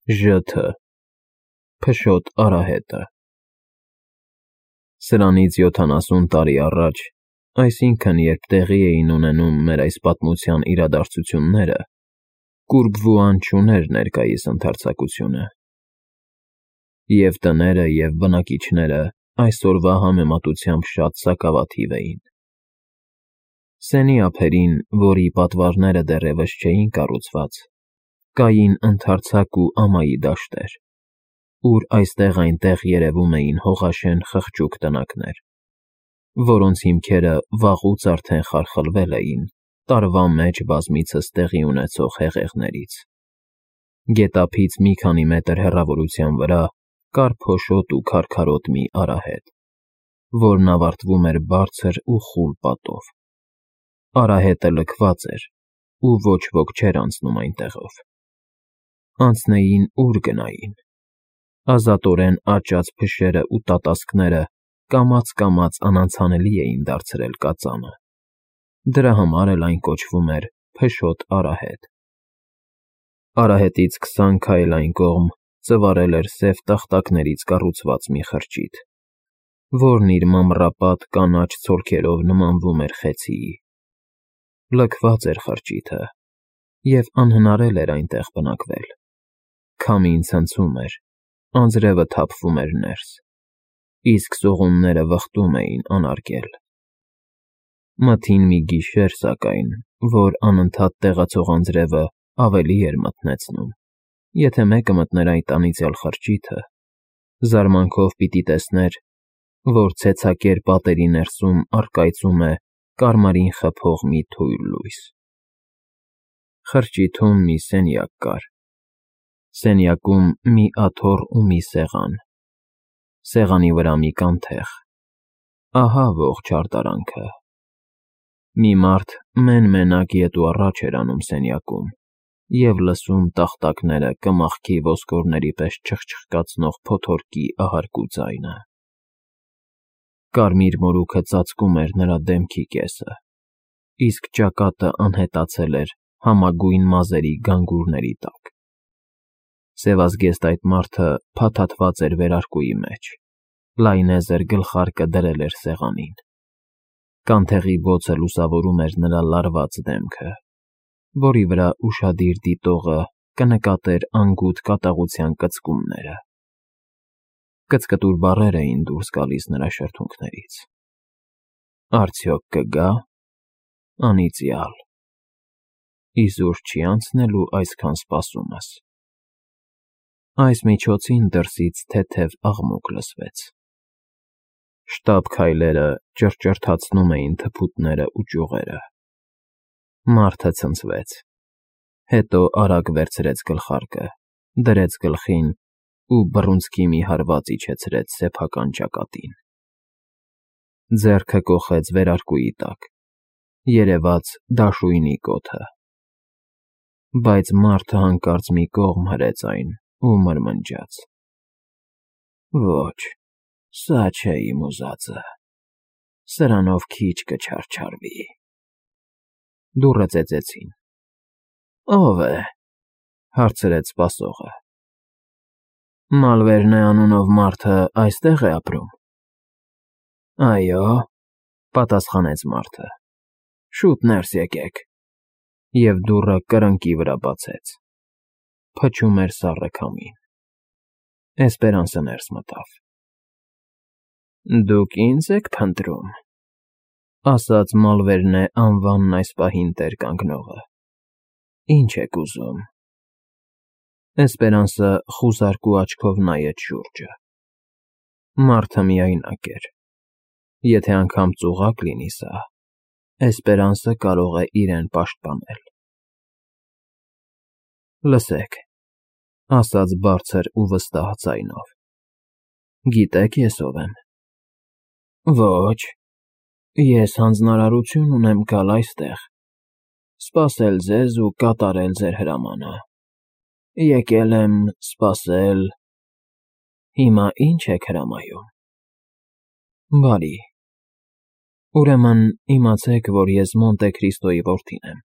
ԺԹ Փշոտ արահետը Սրանից 70 տարի առաջ, այսինքն երբ տեղի էին ունենում մեր այս պատմության իրադարձությունները, Կուրբվուան չուներ ներկայիս ընդարձակությունը, և տները և բնակիչները այսօրվա համեմատությամբ շատ սակավաթիվ էին։ Սենի ափերին, որի պատվարները դեռևս չէին կառուցված, կային ընդարձակ ու ամայի դաշտեր, ուր այստեղ-այնտեղ երևում էին հողաշեն խղճուկ տնակներ, որոնց հիմքերը վաղուց արդեն խարխլվել էին տարվա մեջ բազմիցս տեղի ունեցող հեղեղներից։ Գետափից մի քանի մետր հեռավորության վրա կար փոշոտ ու քարքարոտ մի արահետ, որն ավարտվում էր բարձր ու խուլ պատով։ Արահետը լքված էր, ու ոչ ոք չէր անցնում այնտեղով։ Անցնեին ուր գնային։ Ազատորեն աճած փշերն ու տատասկները կամաց անանցանելի էին դարձրել կածանը։ Դրա համար էլ այն կոչվում էր Փշոտ արահետ։ Արահետից 20 քայլ այն կողմ ծվարել էր սև տախտակներից կառուցված մի խրճիթ, որն իր մամռապատ կանաչ ցոլքերով նմանվում էր խեցիի։ Լքված էր խրճիթը, և անհնարել էր այնտեղ բնակվել։ Քամին ցնցում էր, անձրևը թափվում էր ներս, իսկ սողունները վխտում էին անարգել։ Մթին մի գիշեր, սակայն, որ անընդհատ տեղացող անձրևը ավելի էր մթնեցնում, եթե մեկը մտներ այդ անիծյալ խրճիթը, զարմանքով պիտի տեսներ, որ ցեցակեր պատերի ներսում առկայծում է կարմիրին խփող մի թույլ լույս։ Խրճիթում մի սենյակ կար, սենյակում մի աթոռ ու մի սեղան, սեղանի վրա մի կանթեղ։ Ահա ողջ արտարանքը։ Մի մարդ մեն֊մենակ ետ ու առաջ էր անում սենյակում և լսում տախտակները կմախքի ոսկորների պես չխչխկացնող փոթորկի ահարկու ձայնը։ Կարմիր մորուքը ծածկում էր նրա դեմքի կեսը, իսկ ճակատը անհետացել էր համագույն մազերի գանգուրների տակ։ Սևազգեստ այդ մարդը փաթաթված էր վերարկուի մեջ, լայնեզր գլխարկը դրել էր սեղանին։ Կանթեղի բոցը լուսավորում էր նրա լարված դեմքը, որի վրա ուշադիր դիտողը կնկատեր անգութ կատաղության կծկումները։ Կծկտուր բառեր էին դուրս գալիս նրա շրթունքներից։ Արդյոք կգա՞։ Անիծյալ։ Իզուր չի անցնելու այսքան սպասումս։ Այս միջոցին դրսից թեթև աղմուկ լսվեց։ Շտապ քայլերը ճռճռթացնում էին թփուտներն ու ճյուղերը։ Մարդը ցնցվեց, հետո արագ վերցրեց գլխարկը, դրեց գլխին ու բռունցքի մի հարված իջեցրեց սեփական ճակատին։ Ձեռքը կոխեց վերարկուի տակ, երևաց դաշույնի կոթը։ Բայց մարդը հանկարծ մի կողմ հրեց այն ու մրմնջաց. Ոչ, սա չէ իմ ուզածը, սրանով քիչ կչարչարվի։ Դուռը ծեծեցին։ Ո՞վ է,֊ հարցրեց սպասողը։ Մալվերնե անունով մարդը այստե՞ղ է ապրում։ Այո,֊ պատասխանեց մարդը։ Շուտ ներս եկեք։ Եվ դուռը կրկնակի վրա բացեց։ Փչում էր սառը քամին։ Էսպերանսը ներս մտավ։ Դուք ինձ եք փնտրում,֊ ասաց Մալվերնե անվանն այս պահին տեր կանգնողը։ Ինչ եք ուզում։ Էսպերանսը խուզարկու աչքով նայեց շուրջը։ Մարդը միայնակ էր։ Եթե անգամ ծուղակ լինի սա, Էսպերանսը կարող է իրեն պաշտպանել։ Լսեք,֊ ասաց բարձր ու վստահ ձայնով։ Գիտե՞ք ես ով եմ։ Ոչ, ես հանձնարարություն ունեմ գալ այստեղ, սպասել ձեզ ու կատարել ձեր հրամանը։ Եկել եմ սպասել։ Հիմա ի՞նչ եք հրամայում։ Բարի։ Ուրեմն իմացեք, որ ես Մոնտե Քրիստոյի որդին եմ։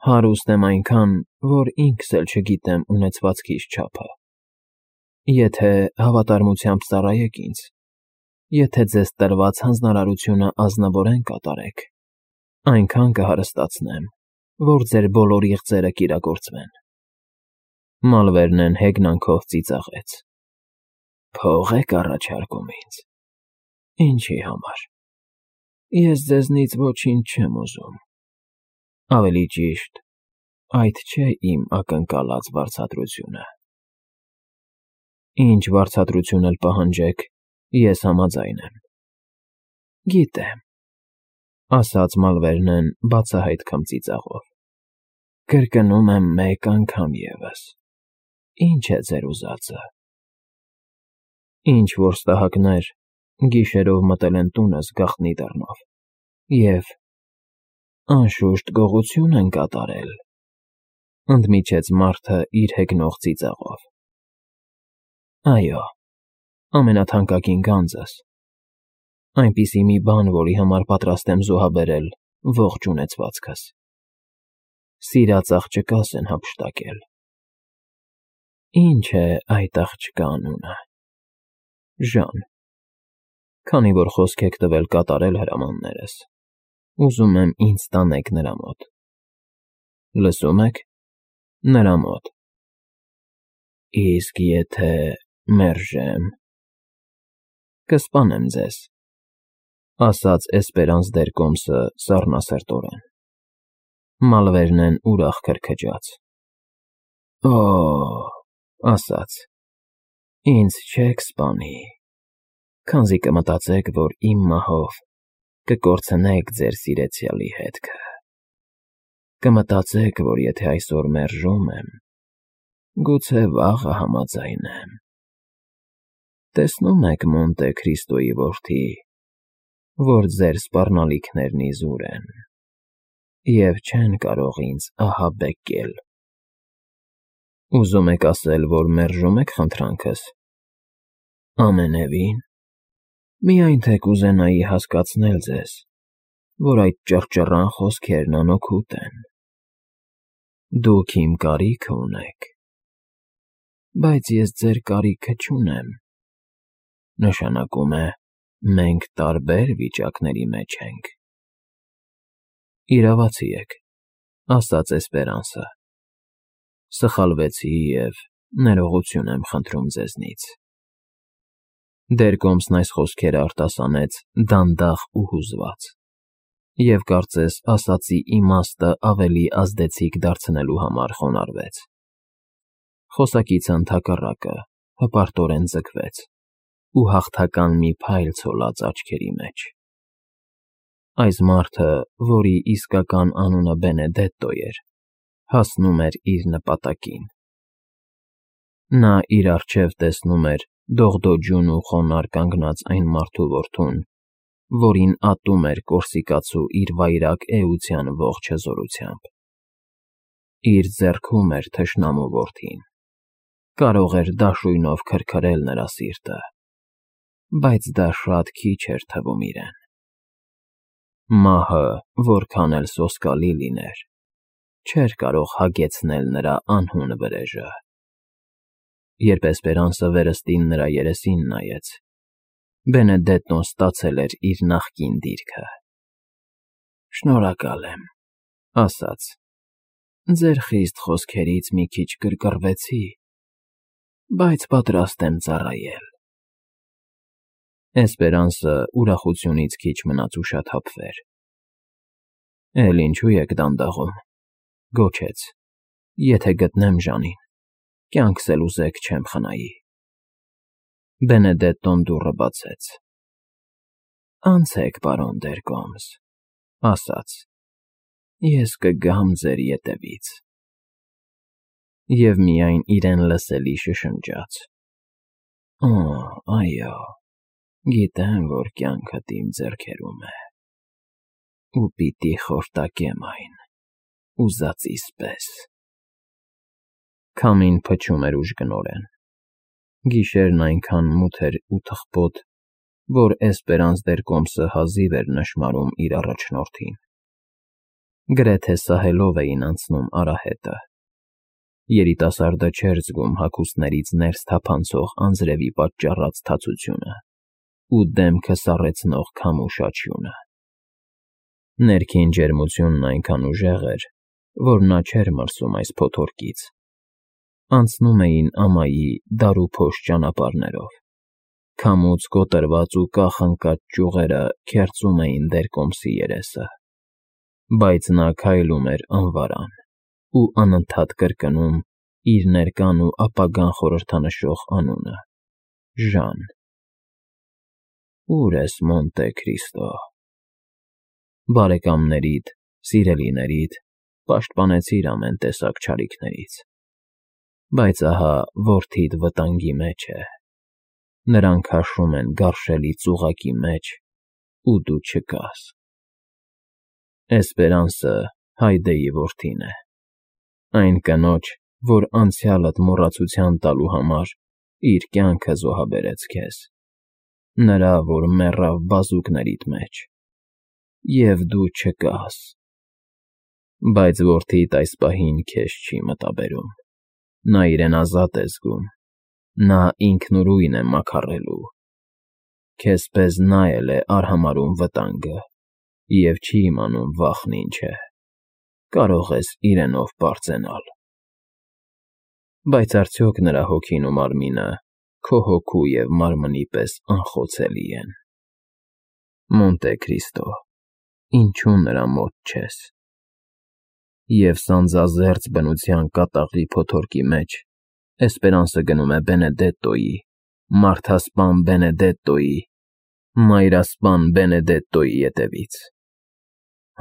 Հարուստ եմ այնքան, որ ինքս էլ չգիտեմ ունեցվածքիս չափը։ Եթե հավատարմությամբ ծառայեք ինձ, եթե ձեզ տրված հանձնարարությունը ազնվորեն կատարեք, այնքան կհարստացնեմ, որ ձեր բոլոր իղձերը կիրագործվեն։ Մալվերնեն հեգնանքով ծիծաղեց։ Փող եք առաջարկում ինձ։ Ինչի համար։ Ես ձեզնից ոչինչ չեմ ուզում։ Ավելի ճիշտ, այդ չէ իմ ակնկալած վարձատրությունը։ Ինչ վարձատրություն էլ պահանջեք, ես համաձայն եմ։ Գիտեմ, ասաց Մալվերնեն բացահայտ քմծիծաղով։ Կրկնում եմ մեկ անգամ ևս։ Ինչ է ձեր ուզածը։ Ինչ որ ստահակներ գիշերով մտել են տունս գաղտնի դռնով և անշուշտ գողություն են կատարել, ընդմիջեց մարդը իր հեգնող ծիծաղով։ Այո, ամենաթանկագին գանձս, այնպիսի մի բան, որի համար պատրաստ եմ զոհաբերել ողջ ունեցվածքս։ Սիրած աղջկաս են հափշտակել։ Ինչ է այդ աղջկա անունը։ Ժան, քանի որ խոսք եք տվել կատարել հրամաններս, ուզում եմ ինձ տանեք նրա մոտ։ Լսում եք, նրա մոտ։ Իսկ եթե մերժեմ, կսպանեմ ձեզ, ասաց Էսպերանս դեր Կոմսը սառնասրտորեն։ Մալվերնեն ուրախ քրքջաց։ Օ, ասաց, ինձ չեք սպանի, քանզի կմտածեք, որ իմ մահով կկորցնեք ձեր սիրեցյալի հետքը։ Կմտածեք, որ եթե այսօր մերժում եմ, գուցե վաղը համաձայնեմ։ Տեսնում եք, Մոնտե Քրիստոյի որդի, որ ձեր սպառնալիքներն իզուր են և չեն կարող ինձ ահաբեկել։ Ուզում եք ասել, որ մերժում եք խնդրանքս։ Ամենևին, միայն թե կուզենայի հասկացնել ձեզ, որ այդ ճռճռան խոսքերն անօգուտ են։ Դուք իմ կարիքը ունեք, բայց ես ձեր կարիքը չունեմ։ Նշանակում է, մենք տարբեր վիճակների մեջ ենք։ Իրավացի եք, ասաց Էսպերանսը։ Սխալվեցի և ներողություն եմ խնդրում ձեզնից։ Դեր Կոմսն այս խոսքերը արտասանեց դանդաղ ու հուզված, և կարծես ասածի իմաստը ավելի ազդեցիկ դարձնելու համար խոնարհվեց։ Խոսակիցը ընդհակառակը հպարտորեն ձգվեց ու հաղթական մի փայլ ցոլած աչքերի մեջ։ Այս մարդը, որի իսկական անունը Բենեդետտո էր, հասնում էր իր նպատակին։ Նա իր առջև տեսնում էր դողդոջուն ու խոնարհ կանգնած այն մարդու որդուն, որին ատում էր կորսիկացու իր վայրագ էության ողջ հզորությամբ։ Իր ձեռքում էր թշնամու որդին, կարող էր դաշույնով քրքրել նրա սիրտը, բայց դա շատ քիչ էր թվում իրեն։ Մահը, որքան էլ սոսկալի լիներ, չէր կարող հագեցնել նրա անհուն վրեժը։ Երբ Էսպերանսը վերստին նրա երեսին նայեց, Բենեդետտոն ստացել էր իր նախկին դիրքը։ Շնորհակալ եմ, ասաց, ձեր խիստ խոսքերից մի քիչ կրկռվեցի, բայց պատրաստ եմ ծառայել։ Էսպերանսը ուրախությունից քիչ մնաց ուշաթափվեր։ Էլ ինչու եք դանդաղում, գոչեց, եթե գտնեմ Ժանին, կյանքս էլ ուզեք չեմ խնայի։ Բենեդետտոն դուռը բացեց։ Անցեք, պարոն դեր Կոմս, ասաց, ես կգամ ձեր ետևից։ Եվ միայն իրեն լսելի շշնջաց. Օ, այո, գիտեմ, որ կյանքդ իմ ձեռքերում է, ու պիտի խորտակեմ այն, ուզածիս պես։ Քամին փչում էր ուժգնորեն։ Գիշերն այնքան մութ էր ու թխպոտ, որ Էսպերանս դեր Կոմսը հազիվ էր նշմարում իր առաջնորդին։ Գրեթե սահելով էին անցնում արահետը։ Երիտասարդը չէր զգում հագուստներից ներս թափանցող անձրևի պատճառած թացությունը ու դեմքը սառեցնող քամու շաչյունը։ Ներքին ջերմությունն այնքան ուժեղ էր, որ նա չէր մրսում այս փոթորկից։ Անցնում էին ամայի դարուփոշ ճանապարհներով։ Քամուց կոտրված ու կախ ընկած ճյուղերը քերծում էին դերկոմսի երեսը, բայց նա քայլում էր անվարան ու անընդհատ կրկնում իր ներկան ու ապագան խորհրդանշող անունը՝ Ժան։ Ո՞ւր ես, Մոնտե Քրիստո։ Բարեկամներիդ, սիրելիներիդ պաշտպանեցիր ամեն տեսակ չարիքներից, բայց ահա որդիդ վտանգի մեջ է։ Նրան քաշում են գարշելի ծուղակի մեջ, ու դու չկաս։ Էսպերանսը Հայդեի որդին է, այն կնոջ, որ անցյալդ մոռացության տալու համար իր կյանքը զոհաբերեց քեզ, նրա, որ մեռավ բազուկներիդ մեջ, և դու չկաս։ Բայց որդիդ այս պահին քեզ չի մտաբերում, նա իրեն ազատ է զգում, նա ինքնուրույն է մաքարելու, քեզ պես նա էլ է արհամարհում վտանգը և չի իմանում վախն ինչ է, կարող ես իրենով պարծենալ։ Բայց արդյոք նրա հոգին ու մարմինը քո հոգու և մարմնի պես անխոցելի են։ Մոնտե Քրիստո, ինչու նրա մոտ չես։ Եվ սանձազերծ բնության կատաղի փոթորկի մեջ Էսպերանսը գնում է Բենեդետտոյի, մարդասպան Բենեդետտոյի, մայրասպան Բենեդետտոյի ետևից։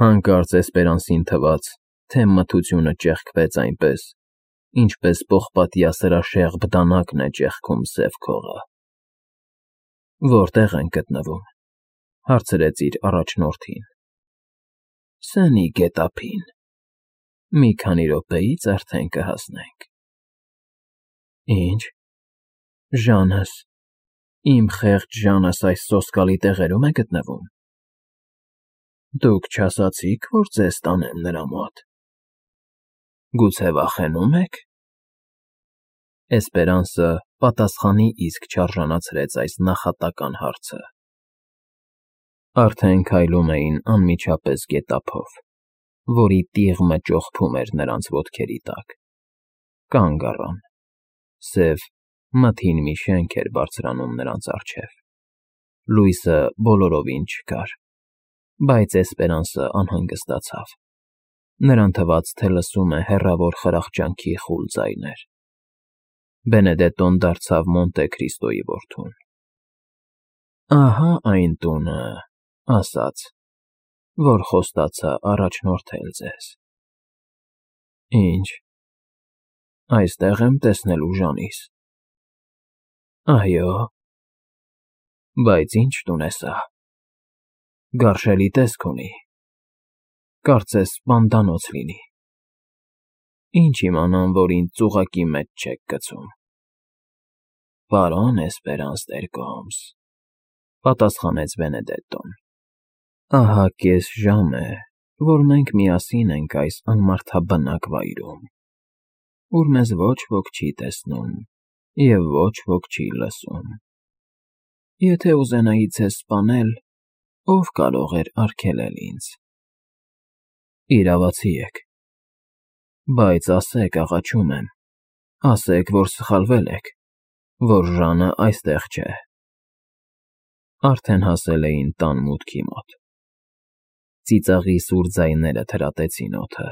Հանկարծ Էսպերանսին թվաց, թե մթությունը ճեղքվեց այնպես, ինչպես պողպատյա սրաշեղբ դանակն է ճեղքում սև քողը։ Որտե՞ղ ենք գտնվում, հարցրեց իր առաջնորդին։ Սենի գետափին։ Մի քանի րոպեից արդեն կհասնենք։ Ինչ, Ժանս, իմ խեղճ Ժանս այս սոսկալի տեղերում է գտնվում։ Դուք չասացիք, որ ձեզ տանեմ նրա մոտ։ Գուցե վախենու՞մ եք։ Էսպերանսը պատասխանի իսկ չարժանացրեց այս նախատական հարցը։ Արդեն քայլում էին անմիջապես գետափով, որի տիղմը ճոխփում էր նրանց ոտքերի տակ։ Կանգ առան։ Սև, մթին մի շենք էր բարձրանում նրանց առջև։ Լույսը բոլորովին չկար, բայց Էսպերանսը անհանգստացավ։ Նրան թվաց, թե լսում է հեռավոր խրախճանքի խուլ ձայներ։ Բենեդետտոն դարձավ Մոնտե Քրիստոյի որդուն։ Ահա այն տունը, ասաց, որ խոստացա առաջնորդել ձեզ։ Ինչ, այստեղ եմ տեսնելու Ժանիս։ Այո։ Բայց ինչ տուն է սա։ Գարշելի տեսք ունի։ Կարծես սպանդանոց լինի։ Ինչ իմանամ, որ ինձ ծուղակի մեջ չեք գցում։ Պարոն Էսպերանս դերկոմս, պատասխանեց Բենեդետտոն։ Ահա կես ժամ է, որ մենք միասին ենք այս անմարդաբնակ վայրում, ուր մեզ ոչ ոք չի տեսնում և ոչ ոք չի լսում։ Եթե ուզենայի ձեզ սպանել, ով կարող էր արգելել ինձ։ Իրավացի եք։ Բայց ասեք, աղաչում եմ, ասեք, որ սխալվել եք, որ Ժանը այստեղ չէ։ Արդեն հասել էին տան մուտքի մոտ։ Ծիծաղի սուր ձայները թրատեցին օդը։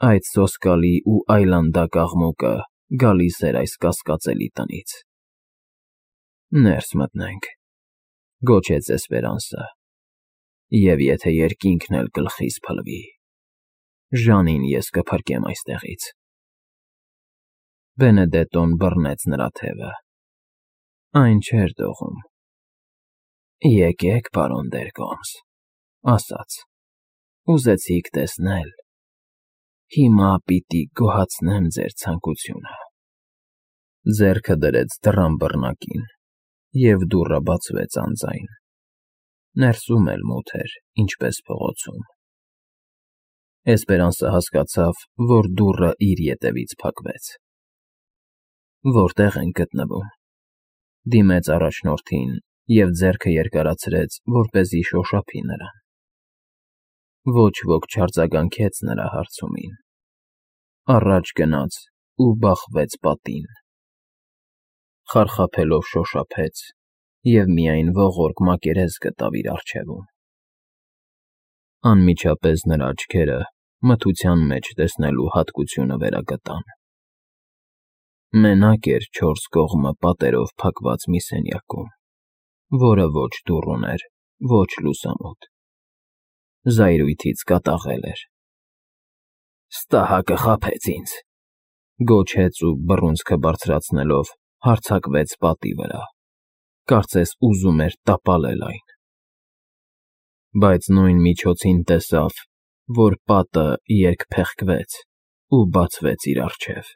Այդ սոսկալի ու այլանդակ աղմուկը գալիս էր այս կասկածելի տնից։ Ներս մտնենք, գոչեց Էսպերանսը, և եթե երկինքն էլ գլխիս փլվի, Ժանին ես կփրկեմ այստեղից։ Բենեդետտոն բռնեց նրա թևը։ Այն չէր դողում։ Եկեք, պարոն դերկոմս, ասաց, ուզեցիք տեսնել։ Հիմա պիտի գոհացնեմ ձեր ցանկությունը։ Ձեռքը դրեց դռան բռնակին, և դուռը բացվեց անձայն։ Ներսում էլ մութ էր, ինչպես փողոցում։ Էսպերանսը հասկացավ, որ դուռը իր ետևից փակվեց։ Որտեղ ենք գտնվում, դիմեց առաջնորդին և ձեռքը երկարացրեց, որպեսզի շոշափի նրան։ Ոչ ոք չարձագանքեց նրա հարցումին։ Առաջ գնաց ու բախվեց պատին։ Խարխափելով շոշափեց և միայն ողորկ մակերես գտավ իր առջևում։ Անմիջապես նրա աչքերը մթության մեջ տեսնելու հատկությունը վերագտան։ Մենակ էր չորս կողմը պատերով փակված մի սենյակում, որը ոչ դուռ ուներ, ոչ լուսամուտ։ Զայրույթից կատաղել էր։ «Ստահակը խաբեց ինձ», գոչեց ու բռունցքը բարձրացնելով հարձակվեց պատի վրա, կարծես ուզում էր տապալել այն։ Բայց նույն միջոցին տեսավ, որ պատը երկփեղկվեց ու բացվեց իր առջև։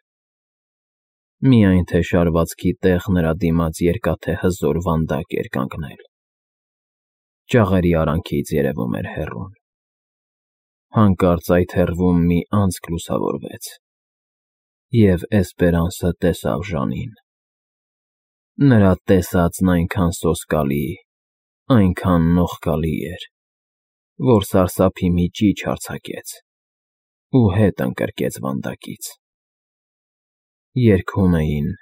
Միայն թե շարվածքի տեղ նրա դիմաց երկաթե հզոր վանդակ էր կանգնել։ Ճաղերի արանքից երևում էր հեռուն։ Հանկարծ այդ հեռվում մի անցք լուսավորվեց, և Էսպերանսը տեսավ Ժանին։ Նրա տեսածն այնքան սոսկալի, այնքան նողկալի էր, որ սարսափի մի ճիչ արձակեց ու հետ ընկրկեց վանդակից։ Երգում էին,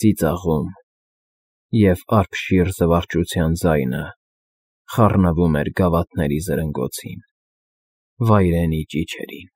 ծիծաղում, և արբշիր զվարճության ձայնը խառնվում էր գավաթների զրնգոցին, վայրենի ճիչերին։